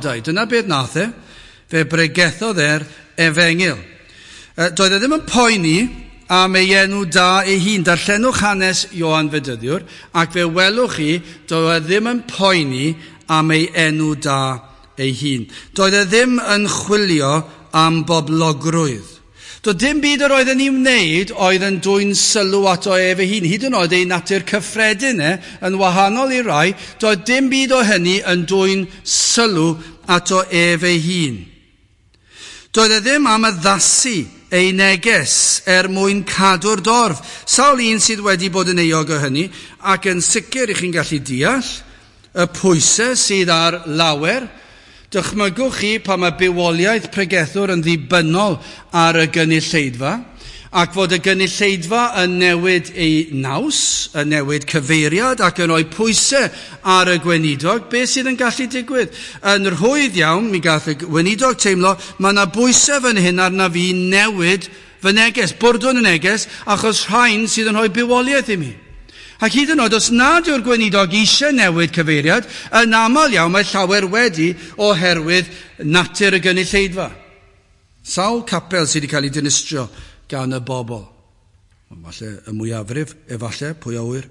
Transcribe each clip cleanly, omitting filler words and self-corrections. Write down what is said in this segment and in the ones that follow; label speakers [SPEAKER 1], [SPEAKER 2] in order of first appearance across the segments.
[SPEAKER 1] Dyna beth nath e, fe bregethodd e'r efengyl. Doedd e ddim yn poeni am ei enw da ei hun. Darllenwch hanes Ioan Fedyddiwr, ac fe welwch chi, doedd e ddim yn poeni am ei enw da ei hun. Doedd e ddim yn chwilio am boblogrwydd. Doedd dim byd yr oedd yn ei wneud oedd yn dwyn sylw ato ef ei hun, hyd yn oed ei natur cyffredin e, yn wahanol i rai, doedd dim byd o hynny yn dwyn sylw ato ef ei hun. Doedd e ddim am addasu ei neges er mwyn cadw'r dorf. Sawl un sydd wedi bod yn euog o hynny, ac yn sicr i chi'n gallu deall y pwysau sydd ar lawer. Dychmygwch chi pan mae bywoliaeth pregethwr yn ddibynnol ar y gynulleidfa, ac fod y gynulleidfa yn newid ei naws, yn newid cyfeiriad ac yn rhoi pwysau ar y gweinidog, beth sydd yn gallu digwydd? Yn rhwydd iawn, mi gath y gweinidog teimlo, mae yna bwysau fan hyn arna fi newid fy neges, bwrdwn y neges, achos rhain sydd yn rhoi bywoliaeth i mi. Ac hyd yn oed, os nad yw'r gweinidog eisiau newid cyfeiriad, yn aml iawn mae llawer wedi oherwydd natur y gynulleidfa. Sawl capel sydd wedi cael ei dinistrio gan y bobl. Falle y mwyafrif, efallai, pwy a ŵyr.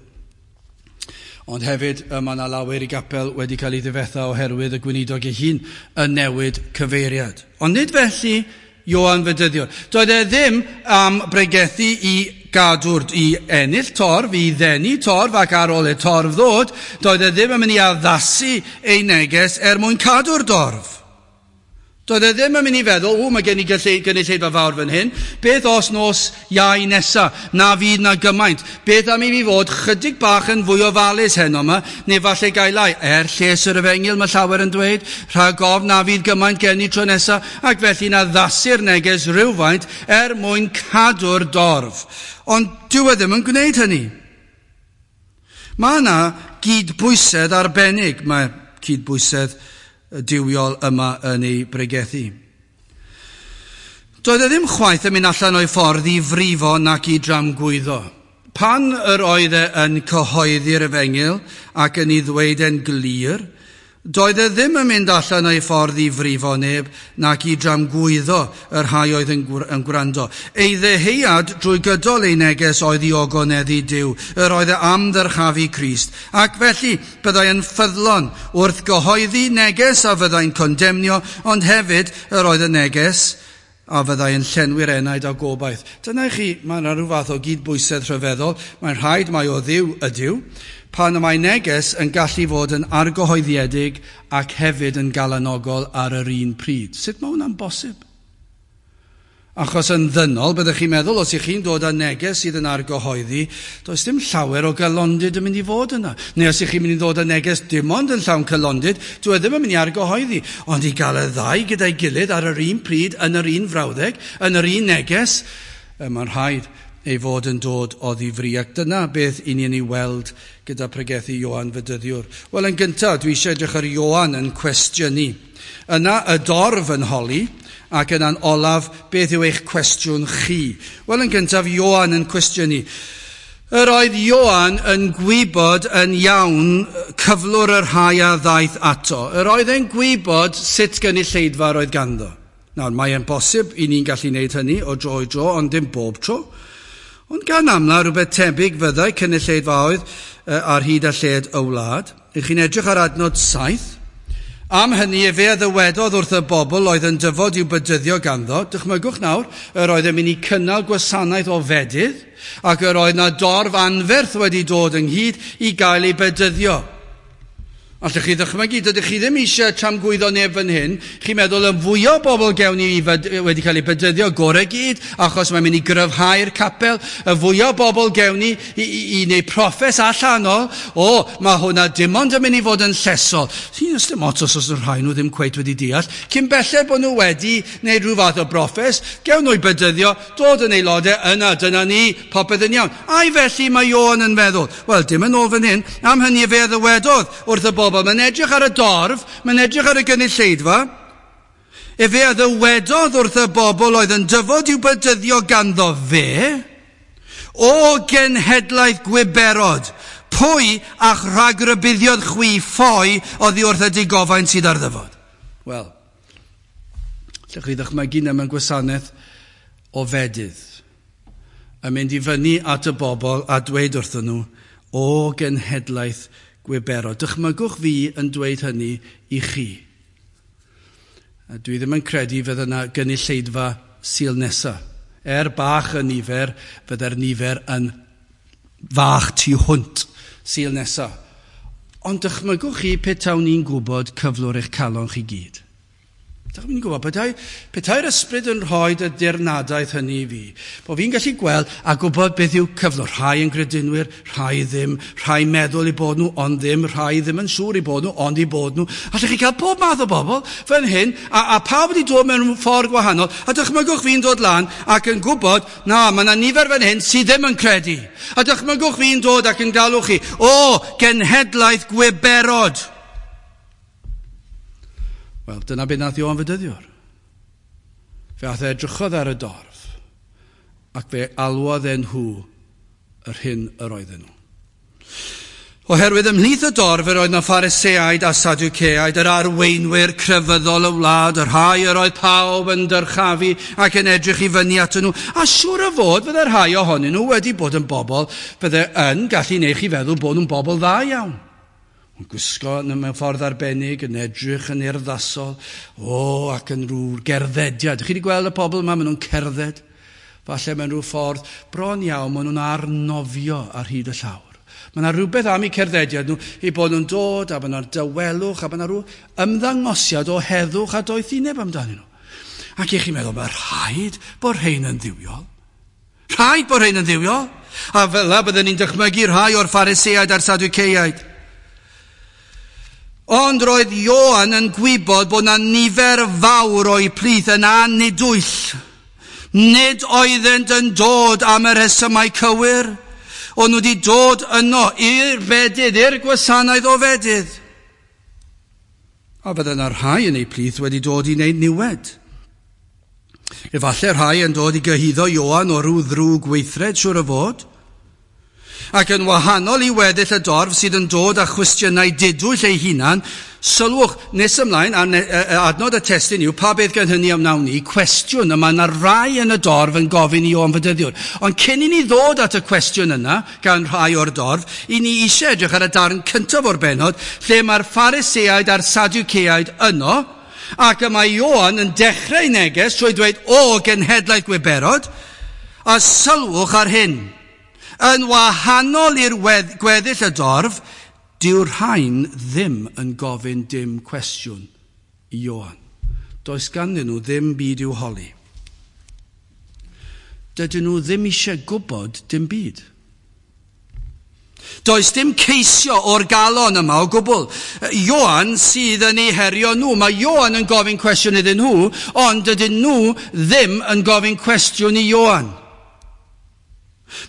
[SPEAKER 1] Ond hefyd, mae yna lawer i gapel wedi cael ei ddifetha oherwydd y gweinidog ei hun yn newid cyfeiriad. Ond nid felly Ioan Fedyddiwr. Doedd e ddim am bregethu i gadw'r, i ennill torf, i ddenu torf, ac ar ôl y torf ddod, doedd e ddim yn mynd i addasu ei neges er mwyn cadw'r dorf. Doedd e ddim yn mynd i feddwl, o, mae gen i gynulleidfa fawr fan hyn, beth os nos Iau nesa, na fydd na gymaint, beth am i fi fod chydig bach yn fwy ofalus heno yma, neu falle gael lai, er lles yr efengyl mae llawer yn dweud, rhag ofn na fydd gymaint gen i tro nesa, ac felly'n addasu'r neges rhywfaint er mwyn cadw'r dorf. Ond dyw e ddim yn gwneud hynny. Mae yna gydbwysedd arbennig, mae cydbwysedd duwiol yma yn ei bregethu. Doedd e ddim chwaith yn mynd allan o'i ffordd i frifo nac i dramgwyddo. Pan yr oedd e yn cyhoeddi'r efengyl ac yn ei ddweud e'n glir, doedd e ddim yn mynd allan o'i ffordd i frifo neb nac i dramgwyddo y rhai oedd yn gwrando. Ei ddeheuad drwy gydol ei neges oedd i ogoneddu Duw, yr oedd e am ddyrchafu Crist, ac felly byddai yn ffyddlon wrth gyhoeddi neges a fyddai'n condemnio, ond hefyd yr oedd y neges a fyddai yn llenwi'r enaid a gobaith. Dyna i chi, mae yna rhyw fath o gydbwysedd rhyfeddol, mae'n rhaid mai o Dduw ydyw, pan y mae neges yn gallu fod yn argyhoeddiedig ac hefyd yn galanogol ar yr un pryd. Sut mae hwnna'n bosib? Achos yn ddynol, byddech chi'n meddwl, os ych chi'n dod â neges sydd yn argyhoeddi, does dim llawer o galondid yn mynd i fod yna. Neu os ych chi'n mynd i ddod â neges dim ond yn llawn calondid, dyw e ddim yn mynd i argyhoeddi. Ond i gael y ddau gyda'i gilydd ar yr un pryd, yn yr un frawddeg, yn yr un neges, mae'n rhaid ei fod yn dod o ddifri. Ac dyna beth i ni'n ei weld gyda pregethu Ioan Fedyddiwr. Wel, yn gyntaf, dwi eisiau edrych ar Ioan yn cwestiynu. Yna y dorf yn holi, ac yna'n olaf, beth yw eich cwestiwn chi? Wel, yn gyntaf, Ioan yn cwestiynu. Yr oedd Ioan yn gwybod yn iawn cyflwr y rhai a ddaeth ato. Yr oedd e'n gwybod sut gynulleidfa oedd ganddo. Nawr, mae'n bosib i ni'n gallu gwneud hynny o dro i dro, ond dim bob tro. Ond gan amla, rhywbeth tebyg fyddai cynulleidfaoedd ar hyd a lled y wlad. Ych chi'n edrych ar adnod 7. Am hynny, efe a ddywedodd wrth y bobl oedd yn dyfod i'w bedyddio ganddo. Dychmygwch nawr, yr oedd yn mynd i cynnal gwasanaeth o fedydd, ac yr oedd na dorf anferth wedi dod ynghyd i gael ei bedyddio. Allwch chi ddychmygu, dydych chi ddim eisiau tramgwyddo neb fan hyn. Chi'n meddwl y fwy o bobl gewn ni wedi cael eu bedyddio gorau gyd, achos mae'n mynd i gryfhau'r capel. Y fwy o bobl gewn ni i wneud proffes allanol, o, mae hwnna dim ond yn mynd i fod yn llesol. Sy'n dim ots os oes rhai nhw ddim cweit wedi deall. Cyn belled bod nhw wedi wneud rhyw fath o broffes, gewn nhw'i bedyddio, dod yn aelodau, yna, dyna ni, popeth yn iawn. Ai felly mae Ioan yn meddwl? Wel, dim yn ôl fan hyn. Am hynny fe ddywedodd wrth y bobl. Mae'n edrych ar y dorf, mae'n edrych ar y gynulleidfa. Efe a ddywedodd wrth y bobl oedd yn dyfod i'w bedyddio ganddo fe, o genhedlaeth gwiberod, pwy a'ch rhagrybuddiodd chwi ffoi oddi wrth y digofaint sydd ar ddyfod? Wel, lle chi ddychmygu na mewn gwasanaeth o fedydd, yn mynd i fyny at y bobl a dweud wrthyn nhw, o genhedlaeth gwiberod. Dychmygwch fi yn dweud hynny i chi. A dwi ddim yn credu fydd yna gynulleidfa Sul nesaf. Er bach y nifer, fydde'r nifer yn fach tu hwnt Sul nesaf. Ond dychmygwch chi petawn ni'n gwybod cyflwr eich calon chi gyd. Dych chi'n gwybod, petai'r ysbryd yn rhoi y dirnadaeth hynny i fi, bod fi'n gallu gweld a gwybod beth yw cyflwr. Rhai yn gredinwyr, rhai ddim, rhai meddwl i bod nhw, ond ddim, rhai ddim yn siŵr i bod nhw, ond i bod nhw. Allwch chi cael pob math o bobl fan hyn, a pawb wedi dod mewn ffordd gwahanol, a dychmygwch fi'n dod lan ac yn gwybod, na, mae yna nifer fan hyn sydd ddim yn credu. A dychmygwch fi'n dod ac yn galw chi, o, genhedlaeth gwiberod. Wel, dyna beth nath Ioan Fedyddiwr. Fe ath e edrychodd ar y dorf, ac fe alwodd e nhw yr hyn yr oedden nhw. Oherwydd ymhlith y dorf yr oedd na Phariseaid a Sadwceaid, yr arweinwyr crefyddol y wlad, y rhai yr oedd pawb yn dyrchafu ac yn edrych i fyny atyn nhw. A siŵr o fod fydde rhai ohonyn nhw wedi bod yn bobl fydde yn gallu neu chi feddwl bod nhw'n bobl dda iawn. Yn gwisgo mewn ffordd arbennig, yn edrych yn urddasol, ac yn rhyw gerddediad. Chi wedi gweld y pobl yma, maen nhw'n cerdded. Falle mewn rhyw ffordd bron iawn, maen nhw'n arnofio ar hyd y llawr. Mae yna rhywbeth am eu cerddediad nhw, eu bod nhw'n dod, a mae yna dawelwch, a mae yna rhyw ymddangosiad o heddwch a doethineb amdanyn nhw. Ac i chi'n meddwl, mae rhaid bod rhain yn dduwiol. Rhaid bod rhain yn dduwiol. A fel yna byddwn ni'n dychmygu rhai o'r Phariseaid a'r Sadwceaid. Ond roedd Ioan yn gwybod bod yna nifer fawr o'i plith yn anidwyll. Nid oeddent yn dod am y rhesymau cywir, ond nhw wedi dod yno i'r fedydd, i'r gwasanaeth o fedydd. A fydde yna rhai yn eu plith wedi dod i wneud niwed. Efallai rhai yn dod i gyhuddo Ioan o ryw ddrwg weithred, siŵr o fod. Ac yn wahanol i weddill y dorf sydd yn dod â chwestiynau didwyll ei hunan, sylwch nes ymlaen, adnod y testun yw, pa beth gan hynny am wnawn ni, cwestiwn yma yna rai yn y dorf yn gofyn i Ioan Fedyddiwr. Ond cyn i ni ddod at y cwestiwn yna gan rhai o'r dorf, i ni eisiau edrych ar y darn cyntaf o'r bennod, lle mae'r Phariseaid a'r Sadwceaid yno, ac y mae Ioan yn dechrau neges trwy dweud, o, genhedlaeth gwiberod, a sylwch ar hyn. Yn wahanol i'r gweddill y dorf, dyw'r rhain ddim yn gofyn dim cwestiwn i Ioan. Does ganddyn nhw ddim byd i'w holi. Dydyn nhw ddim eisiau gwybod dim byd. Does dim ceisio o'r galon yma o gwbl. Ioan sydd yn eu herio nhw. Mae Ioan yn gofyn cwestiwn iddyn nhw, ond dydyn nhw ddim yn gofyn cwestiwn i Ioan.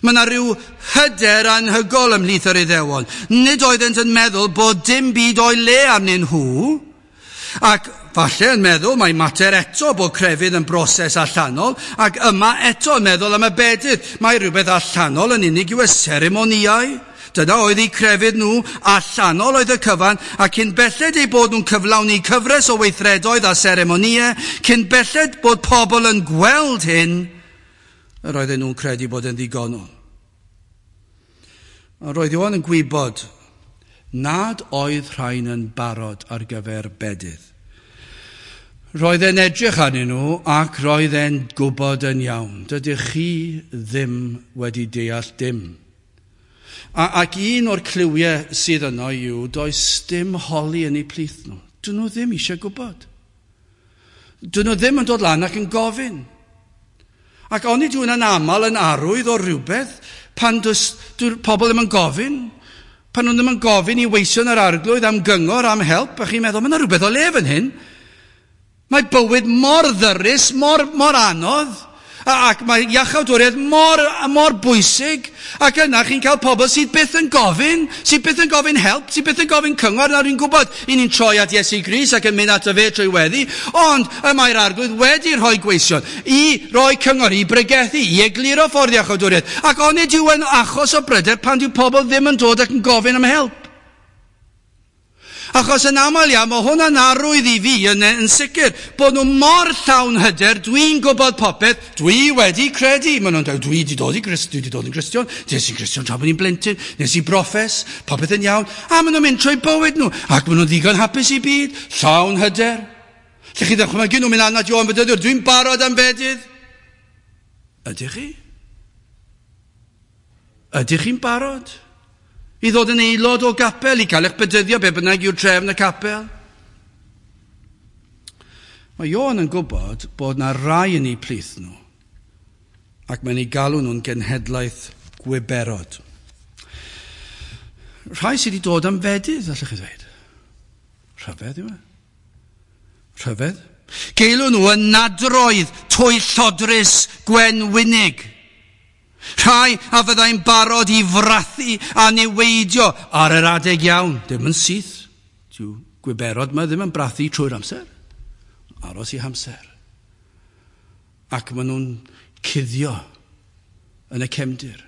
[SPEAKER 1] Mae yna rhyw hyder anhygol ymhlith yr Iddewon. Nid oeddent yn meddwl bod dim byd o'i le arnyn nhw, ac falle yn meddwl mae mater eto bod crefydd yn broses allanol, ac yma eto yn meddwl am y bedydd. Mae rhywbeth allanol yn unig yw y seremonïau. Dyna oedd eu crefydd nhw, allanol oedd y cyfan, ac cyn belled eu bod nhw'n cyflawni cyfres o weithredoedd a seremonïau, cyn belled bod pobl yn gweld hyn, yr oedden nhw'n credu bod yn ddigonol. Ond roedd Ioan yn gwybod nad oedd rhain yn barod ar gyfer bedydd. Roedd e'n edrych arnyn nhw ac roedd e'n gwybod yn iawn. Dydych chi ddim wedi deall dim. Ac un o'r cliwiau sydd yno yw does dim holi yn eu plith nhw. Dyn nhw ddim eisiau gwybod. Dyn nhw ddim yn dod lan ac yn gofyn. Ac onid yw hwnna'n aml yn arwydd o rhywbeth pan dyw'r pobl ddim yn gofyn, pan nhw ddim yn gofyn i weision yr arglwydd am gyngor, am help, a chi'n meddwl, mae yna rhywbeth o le fan hyn. Mae bywyd mor ddyrus, mor anodd, ac mae iachawdwriaeth mor bwysig, ac yna chi'n cael pobl sydd byth yn gofyn, sydd byth yn gofyn help, sydd byth yn gofyn cyngor. Nawr ni'n gwybod, i ni'n troi at Iesu Grist ac yn mynd ato fe trwy weddi, ond y mae'r arglwydd wedi rhoi gweision i roi cyngor, i bregethu, i egluro ffordd iachawdwriaeth. Ac onid yw yn achos o bryder pan dyw pobl ddim yn dod ac yn gofyn am help. Achos yn aml iawn, mae hwnna'n arwydd i fi yn sicr, bod nhw mor llawn hyder, dwi'n gwybod popeth, dwi wedi credu. Maen nhw'n dweud, dwi wedi dod i Grist, dwi wedi dod yn Gristion, des i'n Gristion tra bod i'n blentyn, nes i broffes, popeth yn iawn. A maen nhw'n mynd trwy bywyd nhw, ac maen nhw'n ddigon hapus i byd, llawn hyder. Lle chi ddychmygu nhw'n mynd lan at Ioan Fedyddiwr, dwi'n barod am fedydd. Ydych chi? Ydych chi'n barod i ddod yn aelod o gapel, i cael eich bedyddio, be bynnag yw'r trefn y capel? Mae Ioan yn gwybod bod na rai yn eu plith nhw, ac mae'n eu galw nhw'n genhedlaeth gwiberod. Rhai sydd wedi dod am fedydd, allwch chi ddweud. Rhyfedd yw e. Rhyfedd. Geilw nhw yn nadroedd twyllodrus gwenwynig. Rhai a fyddai'n barod i frathu a niweidio ar yr adeg iawn. Ddim yn syth. Dyw gwiberod yma ddim yn brathu trwy'r amser. Aros i hamser. Ac maen nhw'n cuddio yn y cefndir.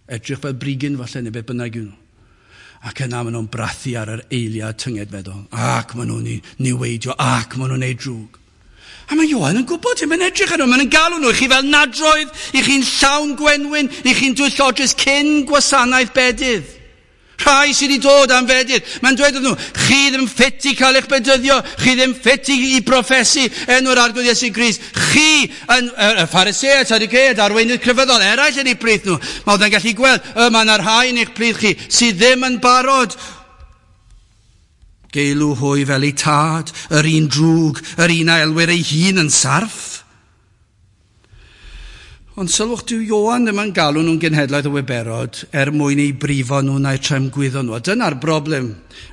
[SPEAKER 1] Edrych fel brigyn falle neu beth bynnag yw nhw. Ac yna maen nhw'n brathu ar yr eiliad tyngedfeddol. Ac maen nhw'n niweidio, ac maen nhw'n neud drwg. A mae Ioan yn gwybod hyn, mae'n edrych arno, mae'n galw nhw i chi fel nadroedd, i chi'n llawn gwenwyn, i chi'n dwyllodrus cyn gwasanaeth bedydd. Rhai sydd wedi dod am fedydd. Mae'n dweud wrthyn nhw, chi ddim ffit i cael eich bedyddio, chi ddim ffit i broffesu enw'r Arglwydd Iesu Grist. Chi, yn y Phariseaid, Sadduceaid, arweinydd crefyddol, eraill yn eu plith nhw. Mae oedd yn gallu gweld, y mae yna rhai yn eich plith chi sydd ddim yn barod. Geilw hwy fel eu tad, yr un drwg, yr un a elwir ei hun yn sarff. Ond sylwch, dyw Ioan ddim yn galw nhw'n genhedlaeth o wiberod er mwyn eu brifo nhw na'u tramgwyddo nhw. A dyna'r broblem,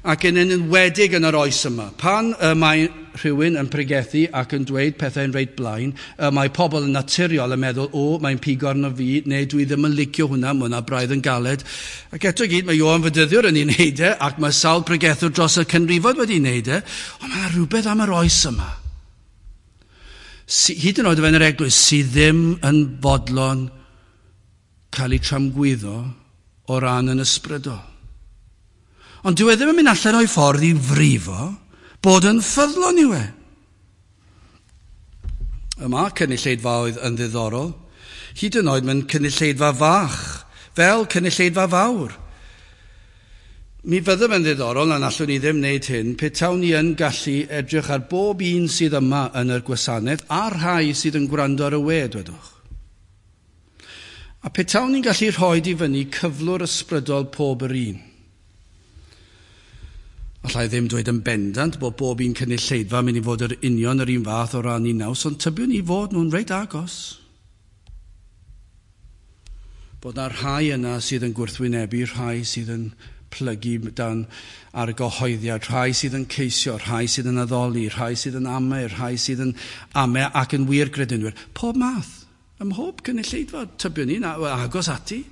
[SPEAKER 1] ac yn enwedig yn yr oes yma. Pan y mae rhywun yn pregethu ac yn dweud pethau'n reit blaen, y mae pobl yn naturiol yn meddwl, o, mae'n pigo arno fi, neu dwi ddim yn licio hwnna, mae hwnna braidd yn galed. Ac eto i gyd, mae Ioan Fedyddiwr yn ei wneud e, ac mae sawl pregethwr dros y canrifoedd wedi ei wneud e, ond mae yna rhywbeth am yr oes yma. Hyd yn oed o fewn yr eglwys sydd ddim yn fodlon cael eu tramgwyddo o ran yn ysbrydol. Ond dyw e ddim yn mynd allan o'i ffordd i frifo bod yn ffyddlon yw e. Yma cynulleidfaoedd yn ddiddorol, hyd yn oed mewn cynulleidfa fach, fel cynulleidfa fawr. Mi fyddem yn ddiddorol, na allwn ni ddim wneud hyn, petawn ni yn gallu edrych ar bob un sydd yma yn yr gwasanaeth a'r rhai sydd yn gwrando ar y we, dwedwch. A petawn ni'n gallu rhoi i fyny cyflwr ysbrydol pob yr un. Allai ddim dweud yn bendant bod bob un cynulleidfa mynd i fod yr union yr un fath o ran i naws, ond tybiwn ni fod nhw'n reit agos. Bod na rhai yna sydd yn gwrthwynebu, rhai sydd yn plygu dan argyhoeddiad, rhai sydd yn ceisio, rhai sydd yn addoli, rhai sydd yn amau, rhai sydd yn amau ac yn wir gredinwyr. Pob math, ym mhob cynulleidfa, tybiwn ni, agos ati.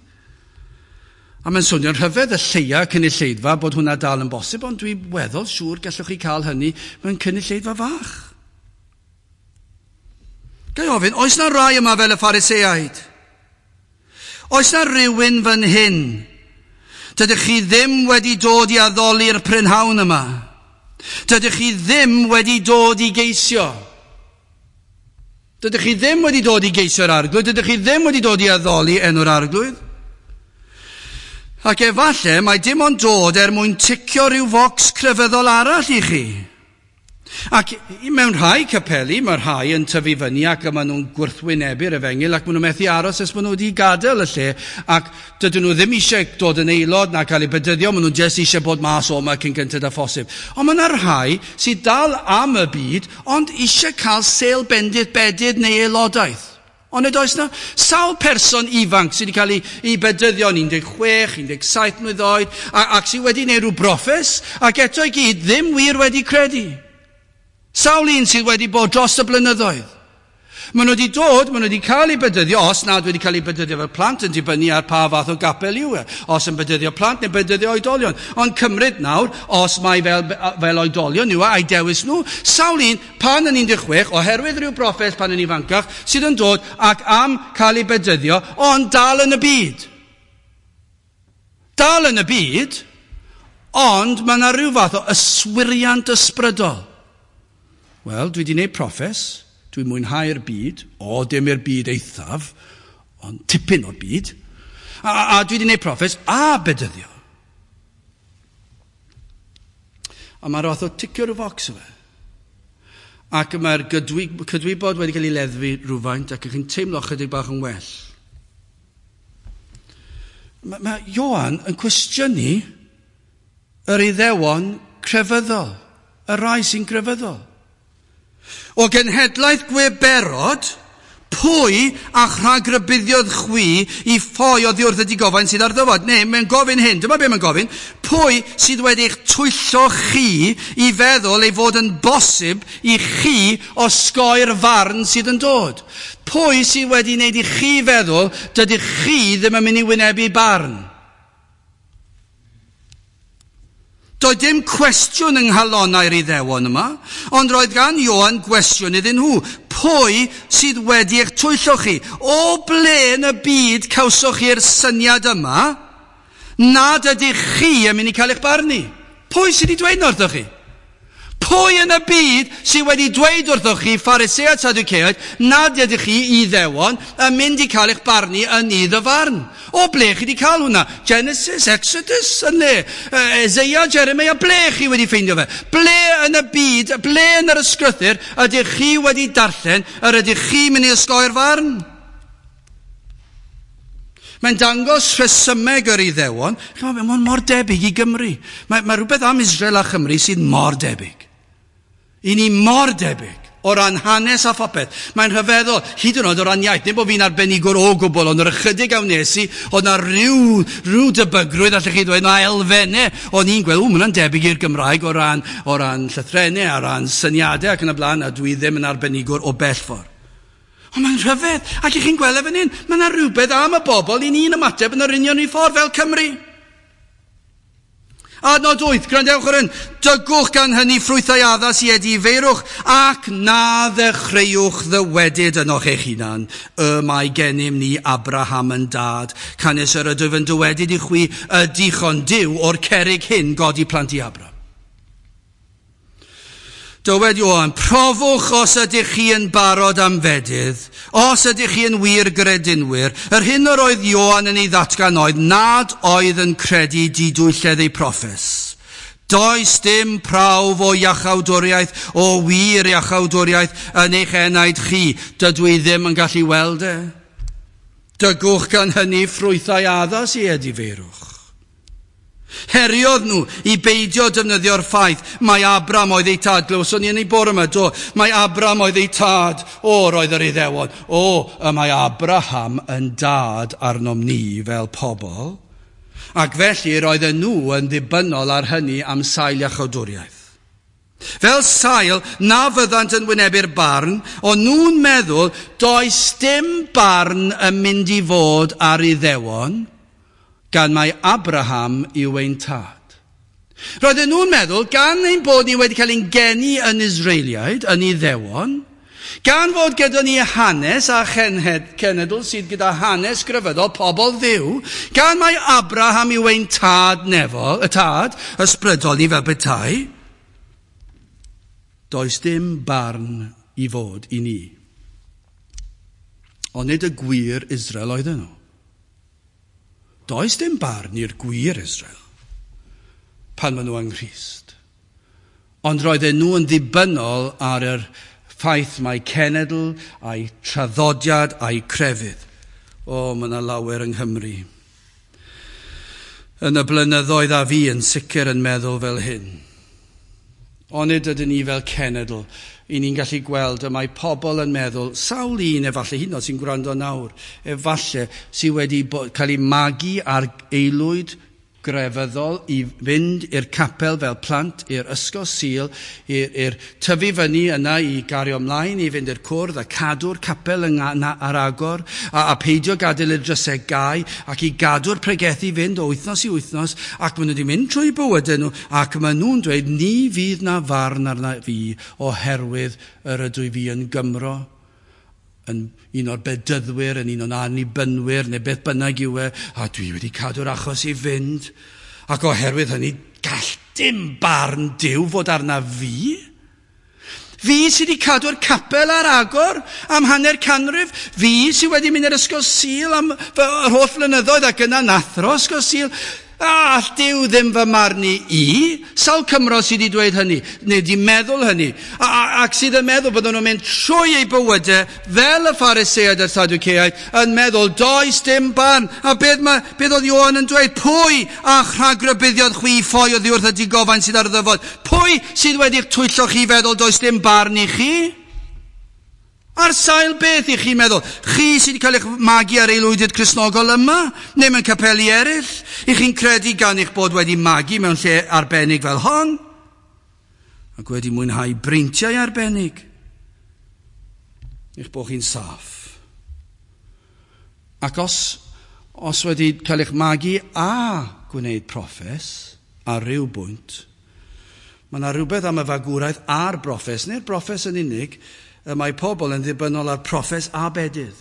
[SPEAKER 1] A mae'n swnio'n rhyfedd y lleia cynulleidfa bod hwnna dal yn bosib, ond dwi'n weddol siŵr gallwch chi cael hynny mewn cynulleidfa fach. Ga i ofyn, oes na rai yma fel y Phariseaid? Oes na rywun fan hyn? Dydych chi ddim wedi dod i addoli'r prynhawn yma. Dydych chi ddim wedi dod i geisio. Dydych chi ddim wedi dod i geisio'r Arglwydd. Dydych chi ddim wedi dod i addoli enw'r Arglwydd. Ac efallai mae dim ond dod er mwyn ticio rhyw focs crefyddol arall i chi. Ac mewn rhai capeli, mae rhai yn tyfu fyny ac maen nhw'n gwrthwynebu'r efengyl ac maen nhw'n methu aros nes maen nhw wedi gadael y lle ac dydyn nhw ddim eisiau dod yn aelod na cael eu bedyddio, maen nhw jyst eisiau bod mas o yma cyn gynted â phosib. Ond mae yna rhai sydd dal am y byd ond eisiau cael sêl bendith bedydd neu aelodaeth. Ond nid oes na sawl person ifanc sydd wedi cael ei bedyddio yn 16, 17 mlwydd oed ac sydd wedi gwneud rhyw broffes ac eto i gyd ddim wir wedi credu. Sawl un sydd wedi bod dros y blynyddoedd. Maen nhw wedi dod, maen nhw wedi cael eu bedyddio, os nad wedi cael eu bedyddio fel plant yn dibynnu ar pa fath o gapel yw e. Os yn bedyddio plant neu bedyddio oedolion. Ond cymryd nawr, os mae fel oedolion yw e, a'i dewis nhw, sawl un pan yn 16, oherwydd rhyw broffes pan yn ifancach, sydd yn dod ac am cael eu bedyddio, ond dal yn y byd. Dal yn y byd, Ond mae yna rhyw fath o yswiriant ysbrydol. Wel, dwi wedi gwneud proffes, dwi'n mwynhau'r byd, o, dim i'r byd eithaf, ond tipyn o'r byd. A dwi wedi gwneud proffes a bedyddio. A mae'r fath o ticio rhyw focs o fe. Ac mae'r cydwybod wedi cael ei leddfu rhywfaint ac ych chi'n teimlo chydig bach yn well. Mae Ioan yn cwestiynu yr Iddewon crefyddol, y rai sy'n grefyddol. O genhedlaeth gweberod, pwy a'ch rhagrybuddiodd chwi i ffoi oddi wrth y digofain sydd ar ddyfod? Neu, mae'n gofyn hyn, dyma be mae'n gofyn, pwy sydd wedi eich twyllo chi i feddwl ei fod yn bosib i chi osgoi'r farn sydd yn dod? Pwy sydd wedi wneud i chi feddwl dydych chi ddim yn mynd i wynebu barn? Doedd dim cwestiwn yng nghalonnau'r Iddewon yma, ond roedd gan Ioan gwestiwn iddyn nhw. Pwy sydd wedi eich twyllo chi? O ble yn y byd cawsoch chi'r syniad yma nad ydych chi yn mynd i cael eich barnu? Pwy sydd wedi dweud wrthoch chi? Pwy yn y byd sydd wedi dweud wrthoch chi, Phariseaid, Sadduceaid, nad ydych chi Iddewon yn mynd i cael eich barnu yn nydd y farn? O ble chi wedi cael hwnna? Genesis, Exodus, yn le? Isaiah, Jeremiah, ble chi wedi ffeindio fe? Ble yn y byd, ble yn yr ysgrythur ydych chi wedi darllen yr ydych chi mynd i osgoi'r farn? Mae'n dangos rhesymeg yr Iddewon. Mae'n mor debyg i Gymru. Mae rhywbeth am Israel a Chymru sydd mor debyg. I ni mor debyg o ran hanes a phopeth. Mae'n rhyfeddol, hyd yn oed o ran iaith. Nid bod fi'n arbenigwr o gwbl, ond yr ychydig a wnes i, oedd na rhyw debygrwydd, allech chi ddweud, na elfennau. O'n i'n gweld, mae hwnna'n debyg i'r Gymraeg o ran llythrennau, o ran syniadau ac yn y blaen, a dwi ddim yn arbenigwr o bell ffordd. Ond mae'n rhyfedd, ac i chi'n gweld e fan hyn, mae yna rhywbeth am y bobl i ni'n ymateb yn yr union i ffordd fel Cymru. Adnod 8, gwrandewch ar hyn. Dygwch gan hynny ffrwythau addas i edifeirwch, ac na ddechreuwch ddywedyd ynoch eich hunan. Y mae gennym ni Abraham yn dad, canys yr ydwyf yn dywedyd i chwi, y dichon Duw o'r cerrig hyn godi plant i Abraham. Dywed Ioan, profwch os ydych chi yn barod am fedydd, os ydych chi yn wir gredinwyr. Yr hyn yr oedd Ioan yn ei ddatgan oedd nad oedd yn credu didwylledd ei proffes. Does dim prawf o iachawdwriaeth, o wir iachawdwriaeth yn eich enaid chi. Dydw i ddim yn gallu weld e. Dygwch gan hynny ffrwythau addas i edifeirwch. Heriodd nhw i beidio defnyddio'r ffaith mae Abram oedd ei tad. Glywson ni yn ei bore yma, do. Mae Abram oedd ei tad. O, roedd yr Iddewon. O, y mae Abraham yn dad arnom ni fel pobl. Ac felly roedden nhw yn ddibynnol ar hynny am sail iachawdwriaeth. Fel sail na fyddant yn wynebu'r barn, o'n nhw'n meddwl does dim barn yn mynd i fod ar Iddewon, gan mai Abraham yw ein tad. Roedden nhw'n meddwl, gan ein bod ni wedi cael ein geni yn Israeliaid, yn Iddewon, gan fod gyda ni hanes a cenedl sydd gyda hanes grefyddol pobl Dduw, gan mai Abraham yw ein tad nefol, y tad ysbrydol ni fel petai, does dim barn i fod i ni. Ond nid y gwir Israel oedden nhw. Does dim barn i'r gwir Israel pan maen nhw yng Nghrist. Ond roedden nhw yn ddibynnol ar yr ffaith mai cenedl a'i traddodiad a'i crefydd. O, mae yna lawer yng Nghymru. Yn y blynyddoedd a fi yn sicr yn meddwl fel hyn. Ond nid ydyn ni fel cenedl, i ni'n gallu gweld y mae pobl yn meddwl, sawl un efallai, hyd yn oed sy'n gwrando nawr, efallai sydd wedi cael ei magu ar aelwyd grefyddol i fynd i'r capel fel plant, i'r ysgol Sul, i'r tyfu fyny yna i gario ymlaen, i fynd i'r cwrdd a cadw'r capel ar agor, a peidio gadael i'r drysau gau, ac i gadw'r pregethu fynd o wythnos i wythnos, ac maen nhw wedi mynd trwy bywydau nhw, ac maen nhw'n dweud, ni fydd na farn arna fi oherwydd yr ydw i fi yn Gymro, yn un o'r bedyddwyr, yn un o'n annibynwyr, neu beth bynnag yw e, a dwi wedi cadw'r achos i fynd. Ac oherwydd hynny, gall dim barn Duw fod arna fi. Fi sydd wedi cadw'r capel ar agor am hanner canrif. Fi sydd wedi mynd i'r ysgol Sul am yr holl flynyddoedd ac yna nathro ysgol Sul. A all Duw ddim fy marnu i. Sawl Cymro sydd wedi dweud hynny, neu wedi meddwl hynny, ac sydd yn meddwl bod nhw'n mynd trwy eu bywydau fel y Phariseaid a'r Sadwceaid, yn meddwl, does dim barn. A beth oedd Ioan yn dweud? Pwy a'ch rhagrhybuddiodd chwi ffoi oddi wrth y digofain sydd ar ddyfod? Pwy sydd wedi'ch twyllo chi feddwl does dim barn i chi? Ar sail beth i chi'n meddwl? Chi sydd wedi cael eich magu ar aelwydydd Cristnogol yma, neu mewn capeli eraill? I chi'n credu gan eich bod wedi magu mewn lle arbennig fel hon? Ac wedi mwynhau breintiau arbennig? Eich bod chi'n saff. Ac os wedi cael eich magu a gwneud proffes ar ryw bwynt, mae yna rhywbeth am y fagwraeth a'r broffes, neu'r broffes yn unig, y mae pobl yn ddibynnol ar proffes a bedydd.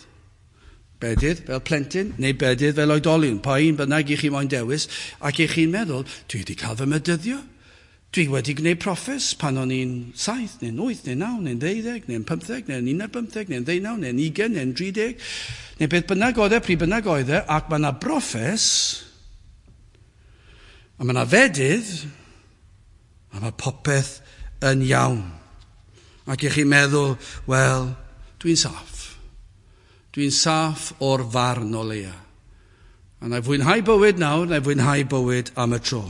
[SPEAKER 1] Bedydd fel plentyn neu bedydd fel oedolyn, pa un bynnag i chi moyn dewis, ac i chi'n meddwl, dwi wedi cael fy medyddio. Dwi wedi gwneud proffes pan o'n i'n 7, neu'n 8, neu'n 9, neu'n 12, neu'n 15, neu'n 15, neu'n 19, neu'n 20, neu'n 30, neu beth bynnag oedd e, pryd bynnag oedd e, ac mae yna broffes, a mae yna fedydd, a mae popeth yn iawn. Ac i chi'n meddwl, wel, dwi'n saff. Dwi'n saff o'r farn o leia. A na i fwynhau bywyd nawr, na i fwynhau bywyd am y tro.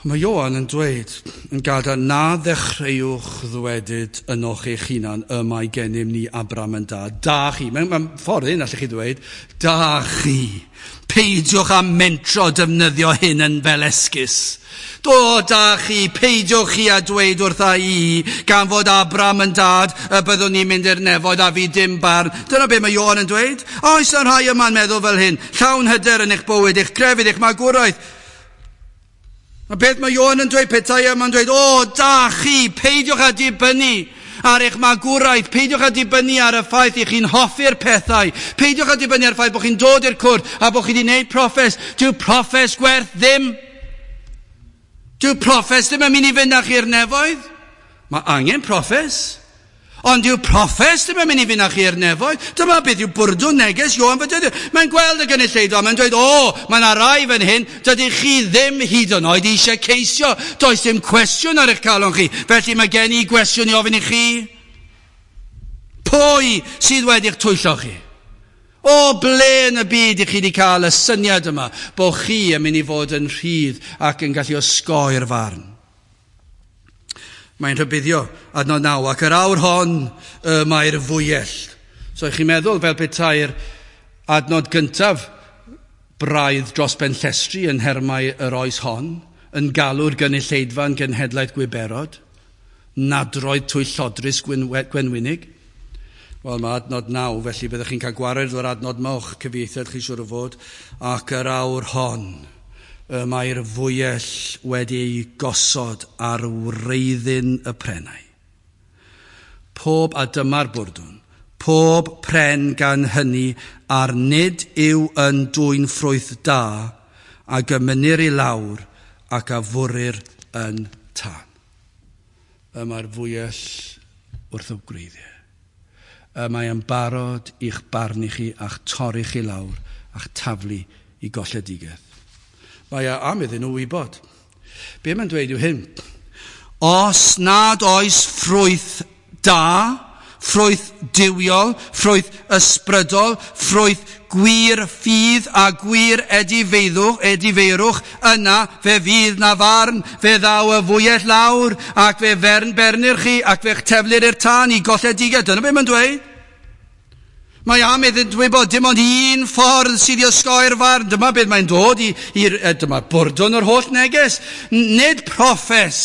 [SPEAKER 1] Mae Ioan yn dweud yn gadael na ddechreuwch ddwedyd ynoch eich hunan y mae gennym ni Abraham yn dad. Da chi. Mae'n ffordd un allwch chi ddweud. Da chi. Peidiwch â mentro defnyddio hyn yn fel esgus. Do, da chi. Peidiwch chi â dweud wrtha i gan fod Abraham yn dad y byddwn ni'n mynd i'r nefoedd a fi dim barn. Dyna be mae Ioan yn dweud. Oes yna rhai yma'n meddwl fel hyn. Llawn hyder yn eich bywyd, eich crefydd, eich magwraeth. A beth mae Ioan yn dweud, petai yma'n dweud, o, da chi, peidiwch â dibynnu ar eich magwraeth, peidiwch â dibynnu ar y ffaith i chi'n hoffi'r pethau, peidiwch â dibynnu ar y ffaith bod chi'n dod i'r cwrdd a bod chi wedi gwneud proffes. Dyw proffes gwerth ddim. Dyw proffes ddim yn mynd i fynd â chi'r nefoedd. Mae angen proffes. Ond dyw proffes ddim yn mynd i fynd â chi i'r nefoedd. Dyma beth yw bwrdwn neges Ioan Fedyddiwr. Mae'n gweld y gynulleidfa, mae'n dweud, o, mae yna rai fan hyn, dydych chi ddim hyd yn oed eisiau ceisio. Does dim cwestiwn ar eich calon chi. Felly mae gen i gwestiwn i ofyn i chi. Pwy sydd wedi'ch twyllo chi? O ble yn y byd i chi wedi cael y syniad yma bod chi yn mynd i fod yn rhydd ac yn gallu osgoi'r farn? Mae'n rhybuddio adnod 9, ac yr awr hon y mae'r fwyell. So chi'n meddwl fel petai'r adnod gyntaf braidd dros ben llestri yn nhermau yr oes hon, yn galw'r gynulleidfa yn genhedlaeth gwiberod, nadroedd twyllodrus gwenwynig. Wel, mae adnod 9, felly byddwch chi'n cael gwared o'r adnod yma o'ch cyfieithiad chi siŵr o fod, ac yr awr hon y mae'r fwyell wedi ei gosod ar wreiddyn y prennau. Pob, a dyma'r bwrdwn, pob pren gan hynny a'r nid yw yn dwyn ffrwyth da a gymynir i lawr ac a fwrir yn tân. Y mae'r fwyell wrth y gwreiddiau. Y mae yn barod i'ch barnu chi a'ch torri chi lawr a'ch taflu i golledigaeth. Mae e am iddyn nhw wybod. Be mae'n dweud yw hyn. Os nad oes ffrwyth da, ffrwyth duwiol, ffrwyth ysbrydol, ffrwyth gwir ffydd a gwir edifeirwch, yna fe fydd na farn, fe ddaw y fwyell lawr, ac fe bernir chi, ac fe'ch teflir i'r tân i golledigaeth. Dyna be mae'n dweud. Mae am iddynt wybod dim ond un ffordd sydd i osgoi'r farn. Dyma beth mae'n dod dyma bwrdwn yr holl neges. Nid proffes,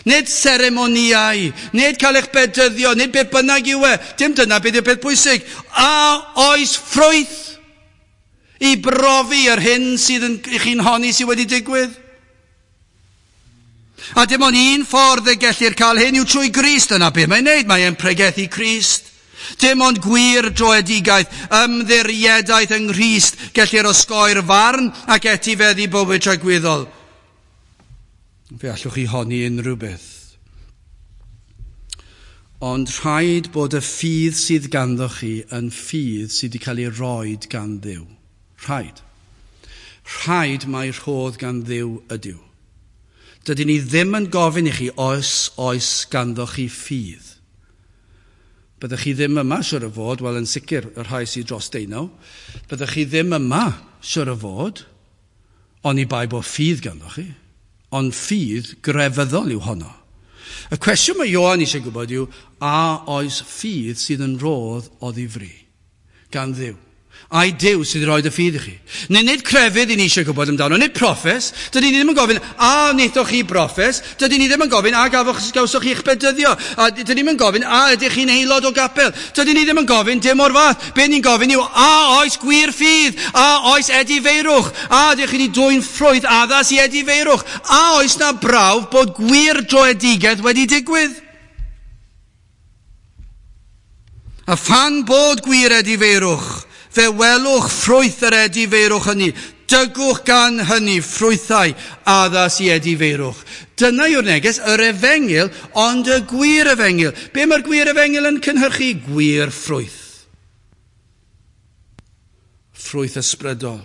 [SPEAKER 1] nid seremoniau, nid cael eich bedyddio, nid beth bynnag yw e. Dim dyna beth yw'r peth pwysig. A oes ffrwyth i brofi yr hyn sydd yn, i chi'n honni sydd wedi digwydd? A dim ond un ffordd y gellir cael hyn yw trwy Grist. Dyna beth mae'n neud. Mae'n pregethu Crist. Dim ond gwir droedigaeth, ymddiriedaeth yng Nghrist gellir osgoi'r farn ac etifeddu bywyd tragwyddol. Fe allwch chi honni unrhyw beth. Ond rhaid bod y ffydd sydd ganddo chi yn ffydd sydd wedi cael ei roed gan Dduw. Rhaid. Rhaid mai rhodd gan Dduw ydyw. Dydyn ni ddim yn gofyn i chi oes oes ganddo chi ffydd. Byddech chi ddim yma, siwr o fod, wel yn sicr y rhai sydd dros 19, byddech chi ddim yma, siwr o fod, oni bai bod ffydd ganddo chi. Ond ffydd grefyddol yw honno. Y cwestiwn mae Ioan eisiau gwybod yw, a oes ffydd sydd yn rhodd o ddifri gan Dduw? Ai Duw sydd wedi rhoi y ffydd i chi? Neu nid crefydd i ni eisiau gwybod amdano, nid proffes. Dydyn ni ddim yn gofyn, a wnaethoch chi broffes? Dydyn ni ddim yn gofyn, a gafoch, gawsoch chi'ch bedyddio? A dydyn ni ddim yn gofyn, a ydych chi'n aelod o gapel? Dydyn ni ddim yn gofyn dim o'r fath. Be ni'n gofyn yw, a oes gwir ffydd? A oes edifeirwch? A ydych chi wedi dwyn ffrwyth addas i edifeirwch? A oes na brawf bod gwir droedigaeth wedi digwydd? A phan bod gwir edifeirwch, fe welwch ffrwyth yr edifeirwch hynny. Dygwch gan hynny ffrwythau addas i edifeirwch. Dyna yw'r neges, yr efengyl, ond y gwir efengyl. Be mae'r gwir efengyl yn cynhyrchu? Gwir ffrwyth. Ffrwyth ysbrydol,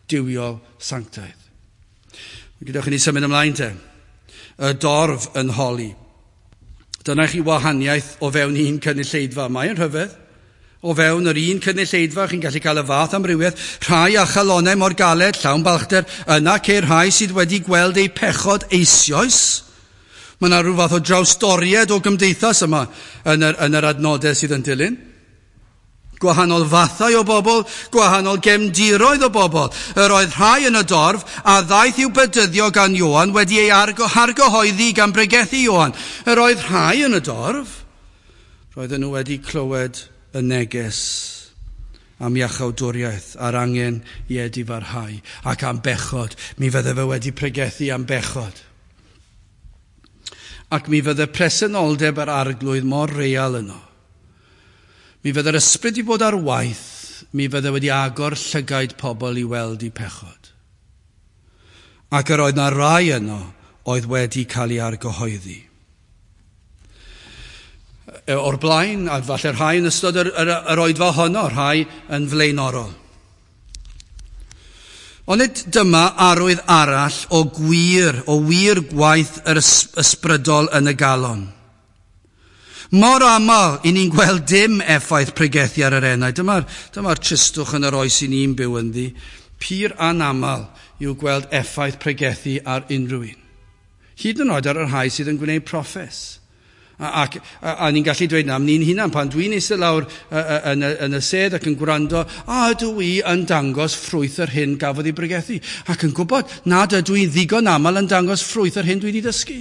[SPEAKER 1] duwiol, sanctaidd. Gadewch i ni symud ymlaen te. Y dorf yn holi. Dyna chi wahaniaeth o fewn un cynulleidfa. Mae'n rhyfedd. O fewn yr un cynulleidfa, chi'n gallu cael y fath amrywiaeth. Rhai â chalonnau mor galed, llawn balchder. Yna ceir rhai sydd wedi gweld eu pechod eisoes. Mae yna rhyw fath o drawstoriad o gymdeithas yma yn yr adnodau sydd yn dilyn. Gwahanol fathau o bobl, gwahanol gefndiroedd o bobl. Yr oedd rhai yn y dorf a ddaeth i'w bedyddio gan Ioan wedi ei argyhoeddi gan bregethu Ioan. Yr oedd rhai yn y dorf, roedden nhw wedi clywed y neges am iachawdwriaeth a'r angen i edifarhau ac am bechod. Mi fydde fe wedi pregethu am bechod. Ac mi fydde presenoldeb yr arglwydd mor real yno. Mi fydde'r ysbryd i bod ar waith, mi fydde wedi agor llygaid pobl i weld eu pechod. Ac yr oedd na rai yno oedd wedi cael ei argyhoeddi. O'r blaen, a falle rhai yn ystod yr oedfa honno, rhai yn flaenorol. Ond nid dyma arwydd arall o wir gwaith yr ysbrydol yn y galon. Mor aml i ni'n gweld dim effaith pregethu ar yr enaid. Dyma'r tristwch yn yr oes i ni'n byw ynddi. Pur anaml yw gweld effaith pregethu ar unrhyw un. Hyd yn oed ar y rhai sydd yn gwneud proffes. A ni'n gallu dweud na am ni'n hunan, pan dwi'n eistedd lawr yn y sedd ac yn gwrando, a ydw i yn dangos ffrwyth yr hyn gafodd ei bregethu. Ac yn gwybod nad ydw i'n ddigon aml yn dangos ffrwyth yr hyn dwi wedi dysgu.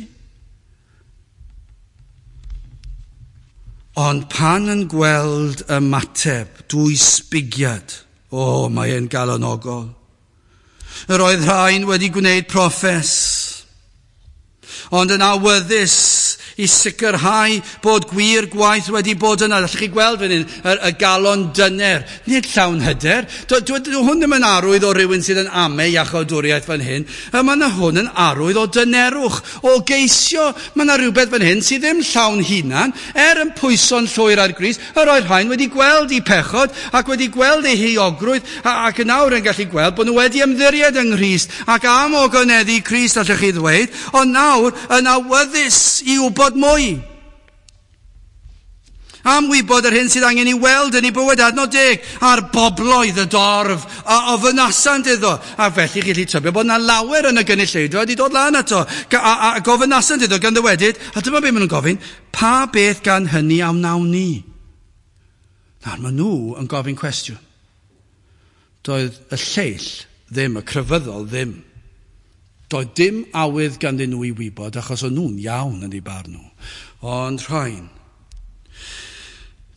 [SPEAKER 1] Ond pan yn gweld ymateb, dwysbigiad, o, mae e'n galonogol. Yr oedd rhain wedi gwneud proffes, ond yn awyddus i sicrhau bod gwir gwaith wedi bod yna. Allwch chi gweld fan hyn, y galon dyner, nid llawn hyder. Dwi hwn ddim yn arwydd o rywun sydd yn ame iachawdwriaeth fan hyn. Mae yna hwn yn arwydd o dynerwch, o geisio. Mae yna rhywbeth fan hyn sydd ddim llawn hunan, er yn pwyso'n llwyr ar Grist. Yr oedd rhain wedi gweld eu pechod ac wedi gweld eu heuogrwydd ac yn awr yn gallu gweld bod nhw wedi ymddiried yng Nghrist ac am ogoneddu Crist, allwch chi ddweud, ond nawr yn awyddus i wybod mwy. Am wybod yr hyn sydd angen i weld yn ei bywyd. Adnod 10, a'r bobloedd y dorf a ofynasant iddo. A felly chi'n gallu tybio bod yna lawer yn y gynulleidfa wedi dod lan ato. A gofynasant iddo gan ddywedyd, a dyma be maen nhw'n gofyn, pa beth gan hynny a wnawn ni? Nawr maen nhw yn gofyn cwestiwn. Doedd y lleill ddim, y crefyddol ddim. Doedd dim awydd ganddyn nhw i wybod, achos o'n nhw'n iawn yn eu barn nhw. Ond rhain.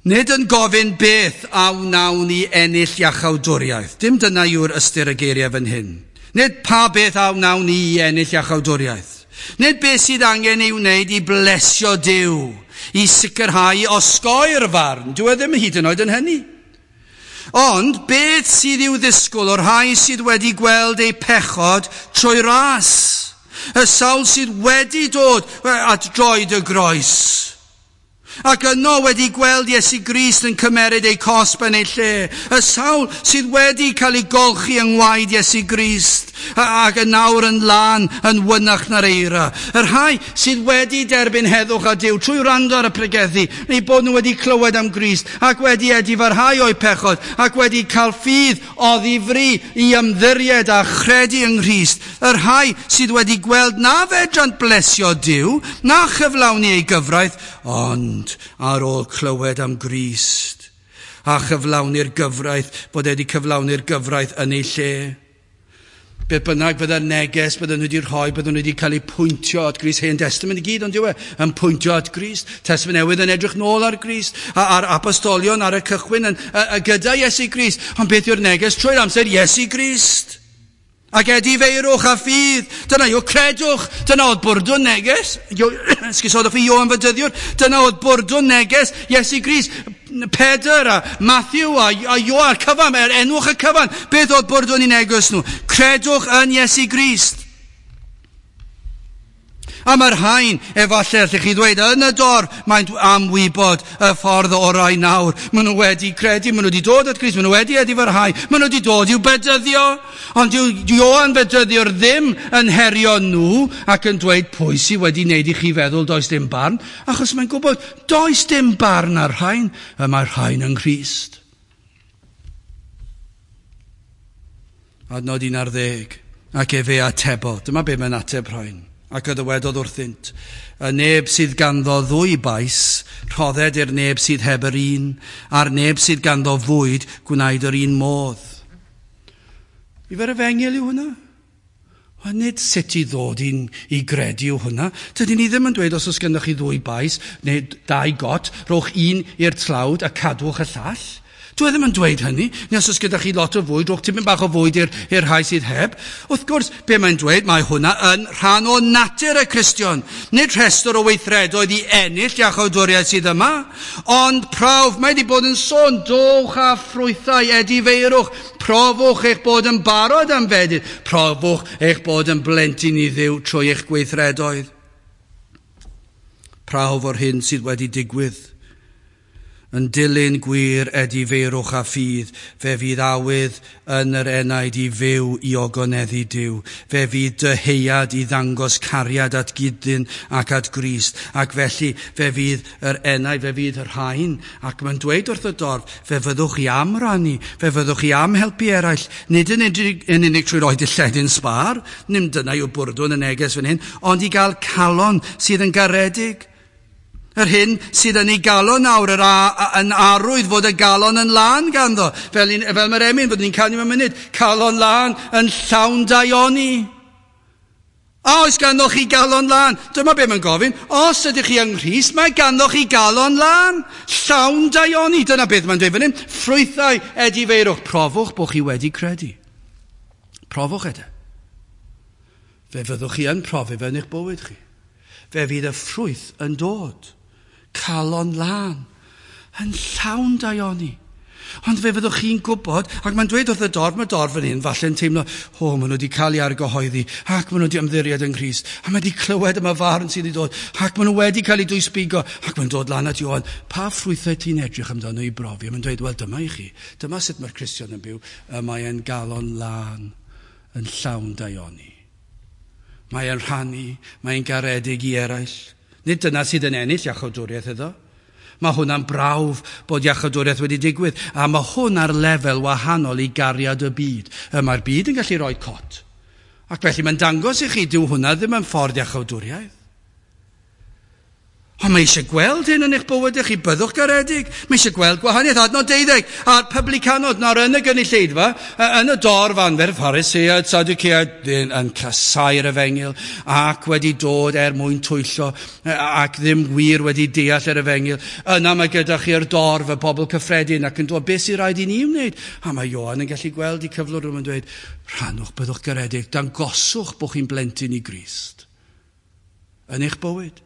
[SPEAKER 1] Nid yn gofyn beth a wnawn ni ennill iachawdwriaeth. Dim dyna yw'r ystyr y geiriau fan hyn. Nid pa beth a wnawn ni i ennill iachawdwriaeth. Nid beth sydd angen ei wneud i blesio Duw. i sicrhau osgoi'r farn. Dyw e ddim hyd yn oed yn hynny. Ond beth sydd i'w ddisgwyl o'r rhai sydd wedi gweld eu pechod trwy ras? Y sawl sydd wedi dod at droed y groes. Ac yno wedi gweld Iesu Grist yn cymeryd eu cosb yn ei lle. Y sawl sydd wedi cael ei golchi yng ngwaed Iesu Grist ac yn nawr yn lân yn wynach na'r eira. Y rhai sydd wedi derbyn heddwch a Duw trwy wrando ar y pregethu, neu bod nhw wedi clywed am Grist ac wedi edifarhau o'u pechod ac wedi cael ffydd oddi fri i ymddiried a chredu yng Nghrist. Y rhai sydd wedi gweld na fedrant blesio Duw, na chyflawni ei gyfraith, ond ar ôl clywed am Grist a chyflawni'r gyfraith, bod e wedi cyflawni'r gyfraith yn ei lle. Beth bynnag fydda'r neges bydden nhw wedi rhoi, bydden nhw wedi cael eu pwyntio at Grist. Hen Testament i gyd, ond yw e, yn pwyntio at Grist. Testament Newydd yn edrych nôl ar Grist, a'r apostolion ar y cychwyn yn, gyda Iesu Grist. Ond beth yw'r neges trwy'r amser? Iesu Grist. Ac edifeirwch a ffydd. Dyna yw credwch. Dyna oedd bwrdwn neges. Esgusodwch fi, Ioan Fedyddiwr. Dyna oedd bwrdwn neges Iesu Grist. Pedr a Matthew a Ioan, a'r cyfan, er enwch y cyfan. Beth oedd bwrdwn i neges nhw? Credwch yn Iesu Grist. A mae'r rhain, efallai allwch chi ddweud, yn y dorf, maent am wybod y ffordd orau nawr. Maen nhw wedi credu, maen nhw wedi dod at Grist, maen nhw wedi edifarhau, maen nhw wedi dod i'w bedyddio. Ond dyw Ioan Fedyddiwr ddim yn herio nhw ac yn dweud pwy sydd wedi wneud i chi feddwl does dim barn, achos mae'n gwybod does dim barn ar rhain, y mae'r rhain yng Nghrist. Adnod 11, ac efe atebodd. Dyma be mae'n ateb rhain. Ac y dywedodd wrthynt, y neb sydd ganddo ddwy bais, rhodded i'r neb sydd heb yr un, a'r neb sydd ganddo fwyd, gwnaed yr un modd. Ifer efengyl yw hwnna? Wel, nid sut i ddod i gredu yw hwnna. Dydyn ni ddim yn dweud os oes gennych chi ddwy bais neu dau got, rhowch un i'r tlawd a cadwch y llall. Dwi ddim yn dweud hynny, neu os oes gyda chi lot o fwyd, rhowch tipyn bach o fwyd i'r rhai sydd heb. Wrth gwrs, be mae'n dweud, mae hwnna yn rhan o natur y Cristion. Nid rhestr o weithredoedd i ennill iachawdwriaeth sydd yma, ond prawf, mae wedi bod yn sôn, dowch a ffrwythau edifeirwch, profwch eich bod yn barod am fedydd, profwch eich bod yn blentyn i Dduw trwy eich gweithredoedd. Prawf o'r hyn sydd wedi digwydd. Yn dilyn gwir edifeirwch a ffydd, fe fydd awydd yn yr enaid i fyw i ogoneddu Duw. Fe fydd dyheuad i ddangos cariad at gydyn ac at Grist. Ac felly fe fydd yr enaid, fe fydd y rhain. Ac mae'n dweud wrth y dorf, fe fyddwch chi am rannu, fe fyddwch chi am helpu eraill. Nid yn unig trwy roi dilledyn sbâr, nim dyna yw bwrdwn y neges fan hyn, ond i gael calon sydd yn garedig. Yr hyn sydd yn ei galon nawr, yn arwydd fod y galon yn lân ganddo. Fel mae'r emyn, byddwn ni'n canu mewn munud, calon lân yn llawn daioni. A oes ganddo chi galon lân? Dyma be mae'n gofyn. Os ydych chi yng Nghrist, mae ganddo chi galon lân, llawn daioni. Dyna beth mae'n dweud fan hyn. Ffrwythau edifeirwch. Profwch bod chi wedi credu. Profwch e. Fe fyddwch chi yn profi fe yn eich bywyd chi. Fe fydd y ffrwyth yn dod. Calon lân, yn llawn daioni. Ond fe fyddwch chi'n gwybod, ac mae'n dweud wrth y dorf, mae dorf fan hyn, falle'n teimlo, o, maen nhw wedi cael ei argyhoeddi, ac maen nhw wedi ymddiried yng Nghrist, a mae wedi clywed am y farn sydd wedi dod, ac maen nhw wedi cael eu dwysbigo, ac mae'n dod lan at Ioan, pa ffrwythau ti'n edrych amdano i brofi? A mae'n dweud, wel, dyma i chi, dyma sut mae'r Cristion yn byw, y mae e'n galon lân, yn llawn daioni. Mae e'n rhannu, mae'n garedig i eraill. Nid dyna sydd yn ennill iachawdwriaeth iddo. Mae hwnna'n brawf bod iachawdwriaeth wedi digwydd, a mae hwn ar lefel wahanol i gariad y byd. Mae'r byd yn gallu rhoi cot. Ac felly mae'n dangos i chi, dyw hwnna ddim yn ffordd iachawdwriaeth. Ond mae eisiau gweld hyn yn eich bywydau chi, byddwch garedig. Mae eisiau gweld gwahaniaeth. Adnod 12, a'r publicanod nawr yn y gynulleidfa, yn y dorf anferth, Phariseaid, Sadduceaid, yn casau'r efengyl, ac wedi dod er mwyn twyllo, ac ddim wir wedi deall yr efengyl. Yna mae gyda chi'r dorf, y bobl cyffredin, ac yn dod, beth sy'n rhaid i ni wneud? A mae Ioan yn gallu gweld i cyflwr nhw'n dweud, rhannwch, byddwch garedig, dangoswch bod chi'n blentyn i Grist yn eich bywyd.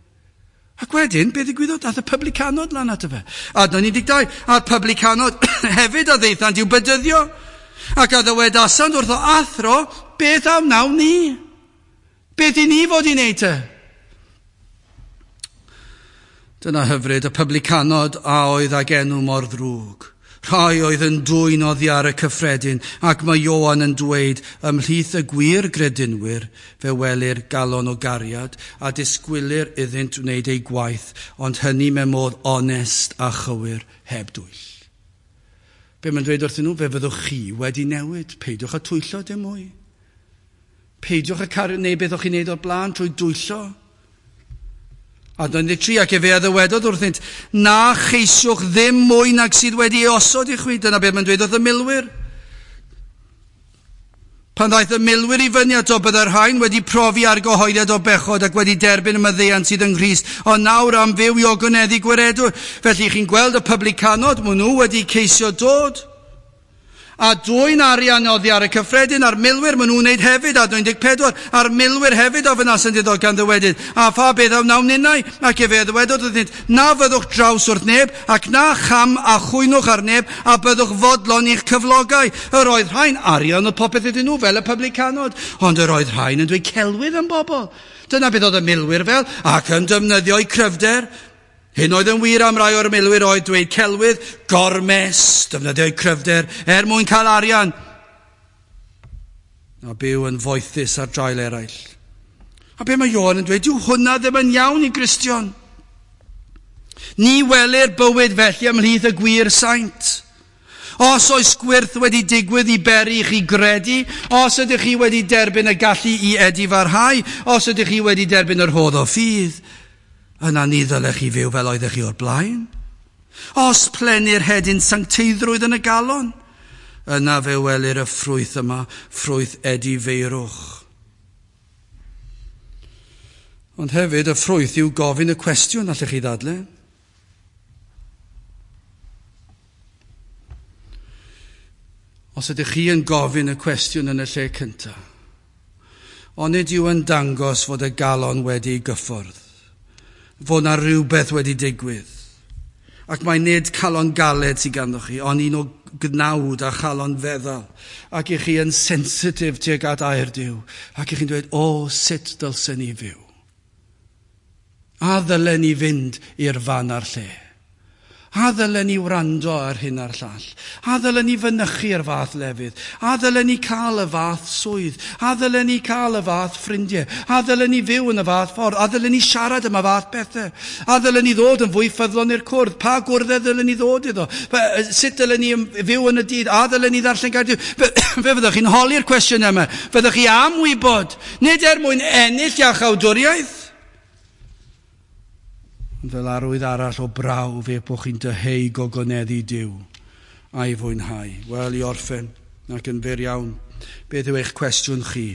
[SPEAKER 1] Ac wedyn, beth ddigwyddodd? Daeth y publicanod lan ato fe. Adnod 12, a'r publicanod hefyd a ddeithant i'w bedyddio. Ac a ddywedasant wrtho athro, beth a wnawn ni? Beth i ni fod i wneud te? Dyna hyfryd y publicanod a oedd ag enw mor ddrwg. Rhai oedd yn dwyn oddi ar y cyffredin, ac mae Ioan yn dweud, ymhlith y gwir gredinwyr, fe welir galon o gariad, a disgwylir iddynt wneud eu gwaith, ond hynny mewn modd onest a chywir, heb dwyll. Be mae'n dweud wrthyn nhw? Fe fyddwch chi wedi newid. Peidiwch â twyllo dim mwy. Peidiwch â cario neu beth o'ch chi'n neud o'r blaen trwy dwyllo. Adnod 13, ac efe a ddywedodd wrthynt, na cheisiwch ddim mwy nag sydd wedi ei osod i chwi. Dyna beth mae'n dweud wrth y milwyr. Pan ddaeth y milwyr i fyny ato, byddai'r rhain wedi profi argyhoeddiad o bechod ac wedi derbyn y maddeuant sydd yng Nghrist, ond nawr am fyw i ogoneddu gwiredwr. Felly chi'n gweld y publicanod, maen nhw wedi ceisio dod a dwyn arian oddi ar y cyffredin, a'r milwyr maen nhw'n wneud hefyd, adnod 14, a'r milwyr hefyd ofynasant iddo gan ddywedyd, a pha beth a wnawn ninnau? Ac efe a ddywedodd wrthynt, na fyddwch draws wrth neb, ac na cham a chwynwch ar neb, a byddwch fodlon i'ch cyflogau. Yr oedd rhain arian oedd popeth iddyn nhw, fel y publicanod, ond yr oedd rhain yn dweud celwydd am bobl. Dyna beth oedd y milwyr fel, ac yn defnyddio'u cryfder. Hyn oedd yn wir am rai o'r milwyr oedd dweud celwydd, gormes, defnyddio'u cryfder, er mwyn cael arian, a byw yn foethus ar draul eraill. A be mae Ioan yn dweud, dyw hwnna ddim yn iawn i Gristion. Ni welir bywyd felly ymhlith y gwir saint. Os oes gwyrth wedi digwydd i beri i chi gredu, os ydych chi wedi derbyn y gallu i edifarhau, os ydych chi wedi derbyn yr rhodd o ffydd, yna ni ddylech chi fyw fel oeddech chi o'r blaen. Os plenir hedyn sancteiddrwydd yn y galon, yna fe welir y ffrwyth yma, ffrwyth edifeirwch. Ond hefyd y ffrwyth yw gofyn y cwestiwn, allech chi ddadle. Os ydych chi yn gofyn y cwestiwn yn y lle cyntaf, onid yw yn dangos fod y galon wedi ei gyffwrdd, fod na rhywbeth wedi digwydd. Ac mae nid calon galed sydd ganddo chi, ond un o gnawd a chalon feddal. Ac i chi yn sensitif tuag at air Duw. Ac i chi'n dweud, o, sut dylsen ni fyw? A ddylen ni fynd i'r fan a'r lle? A ddylen ni wrando ar hyn a'r llall? A ddylen ni fynychu'r fath lefydd? A ddylen ni cael y fath swydd? A ddylen ni cael y fath ffrindiau? A ddylen ni fyw yn y fath ffordd? A ddylen ni siarad am y fath bethau? A ddylen ni ddod yn fwy ffyddlon i'r cwrdd? Pa gwrddau ddylen ni ddod iddo? Sut dylen ni fyw yn y dydd? A ddylen ni ddarllen gair Duw? Fe fyddwch chi'n holi'r cwestiwn yma. Fyddwch chi am wybod, nid er mwyn ennill iachawdwriaeth, ond fel arwydd arall o brawf eich bod chi'n dyheu gogoneddu Duw a'i fwynhau. Wel, i orffen, ac yn fyr iawn, beth yw eich cwestiwn chi?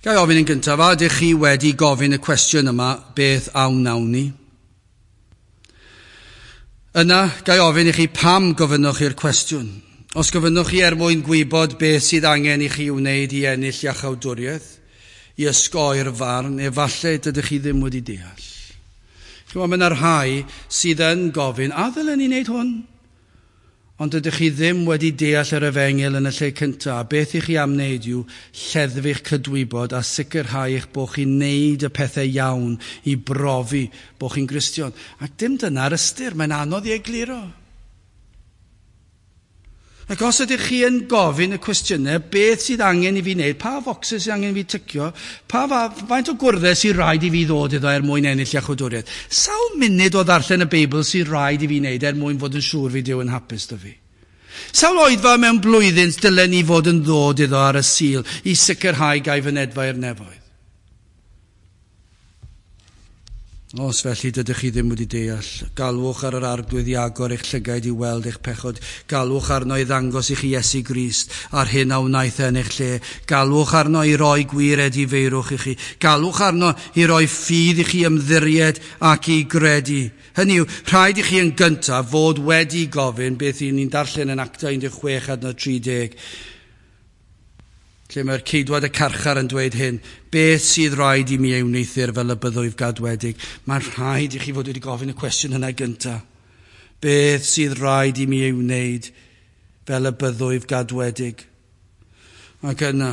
[SPEAKER 1] Ga i ofyn yn gyntaf, a ydych chi wedi gofyn y cwestiwn yma, beth a wnawn ni? Yna, ga i ofyn i chi pam gofynnwch chi'r cwestiwn? Os gofynnwch chi er mwyn gwybod beth sydd angen i chi wneud i ennill iachawdwriaeth, i osgoi'r farn, efallai dydych chi ddim wedi deall. Chymod, mae yna rhai sydd yn gofyn, a ddylen ni wneud hwn? Ond dydych chi ddim wedi deall yr efengyl yn y lle cyntaf. Beth i chi am wneud yw lleddfu'ch cydwybod a sicrhau eich bod chi'n wneud y pethau iawn i brofi bod chi'n Gristion. Ac dim dyna'r ystyr, mae'n anodd i egluro. Ac os ydych chi yn gofyn y cwestiynau, beth sydd angen i fi wneud, pa focsys sydd angen i fi tycio, pa faint o gwrddau sydd rhaid i fi ddod iddo er mwyn ennill iachawdwriaeth, sawl munud o ddarllen y Beibl sydd rhaid i fi wneud er mwyn fod yn siŵr fi Duw yn hapus 'da fi? Sawl oedfa mewn blwyddyn dylen ni fod yn ddod iddo ar y Sul i sicrhau gai fynedfa i'r nefoedd? Os felly dydych chi ddim wedi deall, galwch ar yr Arglwydd i agor eich llygaid i weld eich pechod. Galwch arno i ddangos i chi Iesu Grist a'r hyn a wnaeth e yn eich lle. Galwch arno i roi gwir edifeirwch i chi. Galwch arno i roi ffydd i chi ymddiried ac i gredu. Hynny yw, rhaid i chi yn gyntaf fod wedi gofyn beth i ni'n darllen yn Actau 16 adnod 30. Lle mae'r ceidwad y carchar yn dweud hyn, beth sydd rhaid i mi ei wneuthur fel y byddwyf gadwedig? Mae'n rhaid i chi fod wedi gofyn y cwestiwn yna gyntaf. Beth sydd rhaid i mi ei wneud fel y byddwyf gadwedig? Ac yna,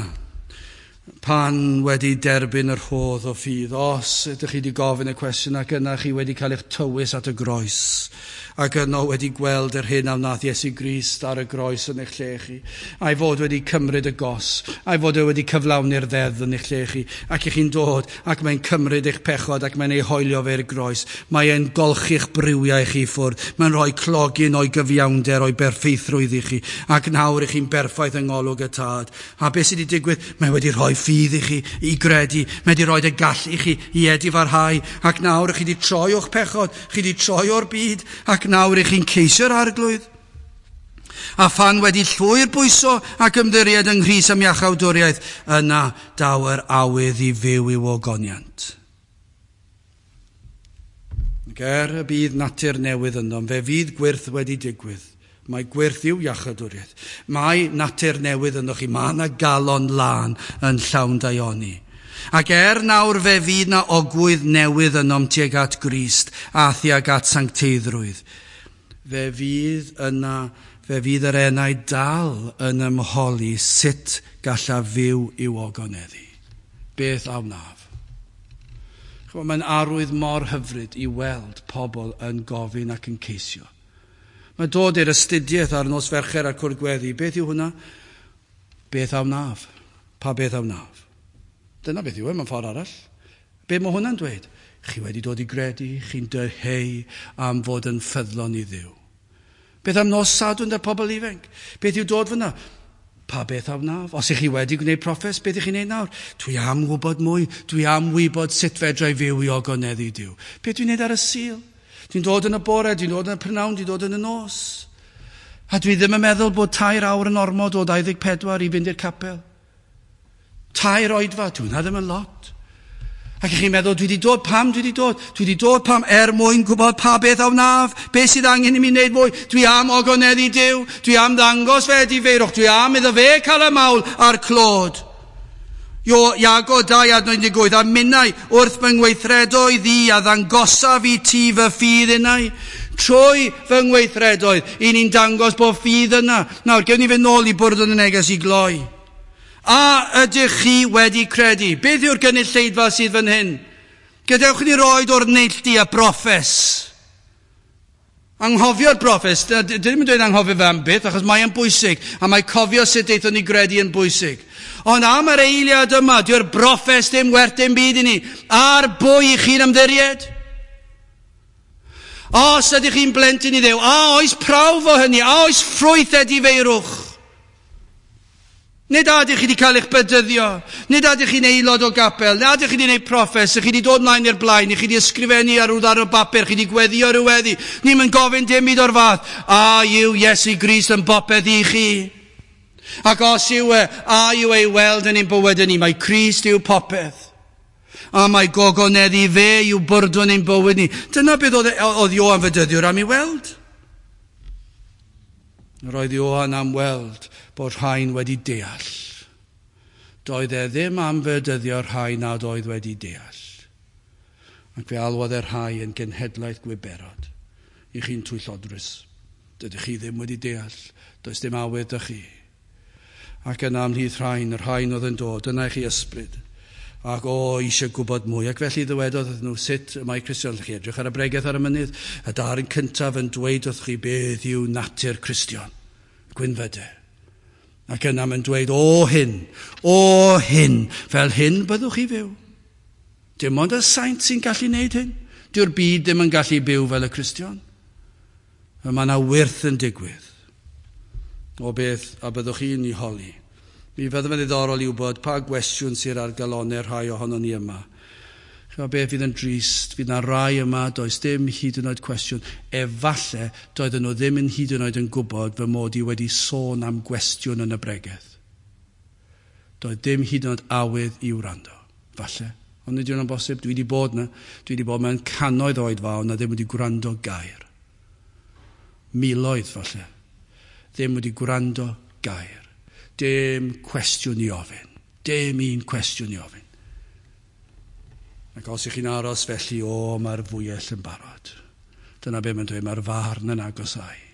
[SPEAKER 1] pan wedi derbyn yr rhodd o ffydd, os ydych chi wedi gofyn y cwestiwn ac yna chi wedi cael eich tywys at y groes, ac yno wedi gweld yr hyn a wnaeth Iesu Grist ar y groes yn eich lle chi, a'i fod wedi cymryd y gos, a'i fod e wedi cyflawni'r ddeddf yn eich lle chi, ac i chi'n dod ac mae'n cymryd eich pechod ac mae'n ei hoelio fe i'r groes, mae e'n golchi'ch briwiau chi ffwrdd, mae'n rhoi clogyn o'i gyfiawnder, o'i berffeithrwydd i chi, ac nawr i chi'n berffaith yng ngolwg y Tad. A beth sydd wedi digwydd? Mae wedi rhoi ffydd i chi i gredu, mae wedi rhoi y gallu i chi i edifarhau, ac nawr chi wedi troi o'ch pechod, chi wedi troi o'r byd, ac nawr i chi'n ceisio'r Arglwydd. A phan wedi llwyr bwyso ac ymddiried yng Nghrist am iachawdwriaeth, yna daw yr awydd i fyw i'w ogoniant. Ac er y bydd natur newydd ynddo, fe fydd gwyrth wedi digwydd. Mae gwyrth i'w iachawdwriaeth. Mae natur newydd ynddo chi. Mae yna galon lân yn llawn daioni. Ac er nawr fe fydd na ogwydd newydd ynom tuag at Grist a thuag at sancteiddrwydd. Fe fydd yna, fe fydd yr enau dal yn ymholi sut gallaf fyw i'w ogoneddu. Beth a wnaf? Mae'n arwydd mor hyfryd i weld pobl yn gofyn ac yn ceisio. Mae dod i'r astudiaeth ar nos Fercher a'r cwrdd gweddi. Beth yw hwnna? Beth a wnaf? Pa beth a wnaf? Dyna beth yw e, mewn ffordd arall. Be mae hwnna'n dweud? Chi wedi dod i gredu, chi'n dyheu am fod yn ffyddlon i Dduw. Beth am nos Sadwrn da'r pobl ifanc? Beth yw dod fyna? Pa beth a wnaf? Os ych chi wedi gwneud proffes, beth ych chi'n neud nawr? Dwi am wybod mwy, dwi am wybod sut fedra i fyw i ogoneddu Duw. Beth dwi'n neud ar y Sul? Dwi'n dod yn y bore, dwi'n dod yn y prynhawn, dwi'n dod yn y nos. A dwi ddim yn meddwl bod 3 awr yn ormod o 24 i fynd i'r capel. 3 oedfa, dwi'n ddim yn lot. Ac ych chi'n meddwl, dwi wedi dod, pam dwi wedi dod? Dwi wedi dod pam er mwyn gwybod pa beth a wnaf, beth sydd angen i mi wneud mwy. Dwi am ogoneddu Duw, dwi am ddangos fe edifeirwch, dwi am iddo fe cael y mawl a'r clod. Iago 2 adnod 18, a minnau wrth fy ngweithredoedd i a ddangosaf i ti fy ffydd innau. Trwy fy ngweithredoedd, i ni'n dangos bod ffydd yna. Nawr, gewn ni fynd nôl i bwrdd yn y neges i gloi. A ydych chi wedi credu? Beth yw'r gynulleidfa sydd fan hyn? Gadewch ni roed o'r neilltu a broffes. Anghofio'r broffes, dwi ddim yn dweud anghofio fe am byth, achos mae e'n bwysig, a mae cofio sut aethon ni gredu yn bwysig. Ond am yr eiliad yma, dyw'r broffes dim werth dim byd i ni. Ar bwy i chi'n ymddiried? Os ydych chi'n blentyn i Dduw, a oes prawf o hynny, a oes ffrwyth edifeirwch? Nid a ydych chi wedi cael eich bedyddio, nid a ydych chi'n aelod o gapel, nid a ydych chi wedi gwneud proffes, ych chi wedi dod mlaen i'r blaen, ych chi wedi ysgrifennu ar ryw ddarn o bapur, chi wedi gweddio rhyw weddi. Ni'm yn gofyn dim byd o'r fath. A yw Iesu Grist yn bopeth i chi? Ac os yw e, a yw ei weld yn ein bywyd ni, mae Crist yw popeth. A mae gogoneddu fe yw bwrdwn ein bywyd ni. Dyna beth oedd Ioan Fedyddiwr am ei weld. Roedd Ioan am weld bod rhain wedi deall. Doedd e ddim am fedyddio rhai nad oedd wedi deall. Ac fe alwodd e rhai yn genhedlaeth gwiberod. I chi'n twyllodrus. Dydych chi ddim wedi deall. Does dim awydd 'da chi. Ac yna ymhlith rhain, y rhain oedd yn dod, dyna i chi ysbryd. Ac o, eisiau gwybod mwy. Ac felly ddywedodd wrthyn nhw sut y mae Cristion. Chi edrych ar y bregeth ar y mynydd. Y darn cyntaf yn dweud wrth chi beth yw natur Cristion. Gwynfyde. Ac yna mae'n dweud, o hyn, fel hyn byddwch chi fyw. Dim ond y saint sy'n gallu wneud hyn. Dyw'r byd ddim yn gallu byw fel y Cristion. A mae yna wyrth yn digwydd. O beth a byddwch chi'n ei holi. Mi fydd yn ddiddorol i wybod pa gwestiwn sydd ar galonnau rhai ohonon ni yma. Chymod beth fydd yn drist, fydd yna rai yma, does dim hyd yn oed cwestiwn. Efalle doedden nhw ddim yn hyd yn oed yn gwybod fy mod i wedi sôn am gwestiwn yn y bregeth. Doedd dim hyd yn oed awydd i wrando. Falle. Ond nid yw'n bosib, dwi wedi bod yna. Dwi wedi bod mewn cannoedd oedfaon na ddim wedi gwrando gair. Miloedd falle. Ddim wedi gwrando gair. Dim cwestiwn i ofyn. Dim un cwestiwn i ofyn. Ac os ych chi'n aros felly, o, mae'r fwyell yn barod. Dyna be mae'n dweud, mae'r farn yn agosau.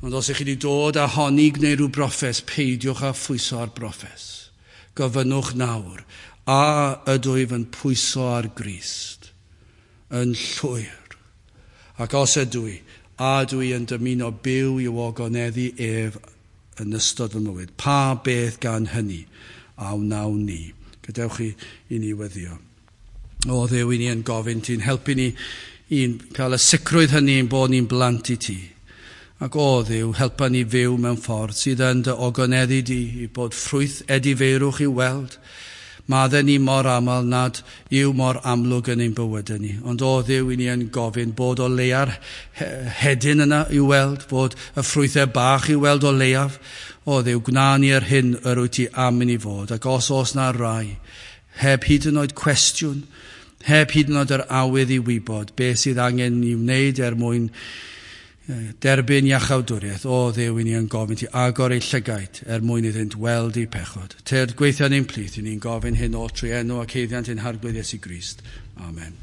[SPEAKER 1] Ond os ych chi wedi dod a honni gwneud rhyw broffes, peidiwch â phwyso ar broffes. Gofynnwch nawr, a ydw i yn pwyso ar Grist yn llwyr? Ac os ydw i, a ydw i yn dymuno byw i'w ogoneddu ef yn ystod fy mywyd? Pa beth gan hynny a wnawn ni? Gadewch i ni weddio. O Dduw, i ni yn gofyn ti'n helpu ni i'n cael y sicrwydd hynny ein bod ni'n blant i ti. Ac o Dduw, helpa ni fyw mewn ffordd sydd yn dy ogoneddu di i bod ffrwyth edifeirwch i'w weld. Maddau ni mor aml nad yw mor amlwg yn ein bywydau ni. Ond o Dduw, i ni yn gofyn bod o leia'r hedyn yna i'w weld, bod y ffrwythau bach i'w weld o leiaf. O Dduw, gwna ni yr hyn yr wyt ti am i ni fod. Ac os oes na rai, heb hyd yn oed cwestiwn, heb hyd yn oed yr awydd i wybod beth sydd angen i wneud er mwyn derbyn iachawdwriaeth, o Dduw, i ni yn gofyn ti agor eu llygaid er mwyn iddynt weld eu pechod. Tyrd gweithio yn ein plith, i ni'n gofyn hyn oll trwy enw ac haeddiant ein Harglwydd Iesu Grist. Amen.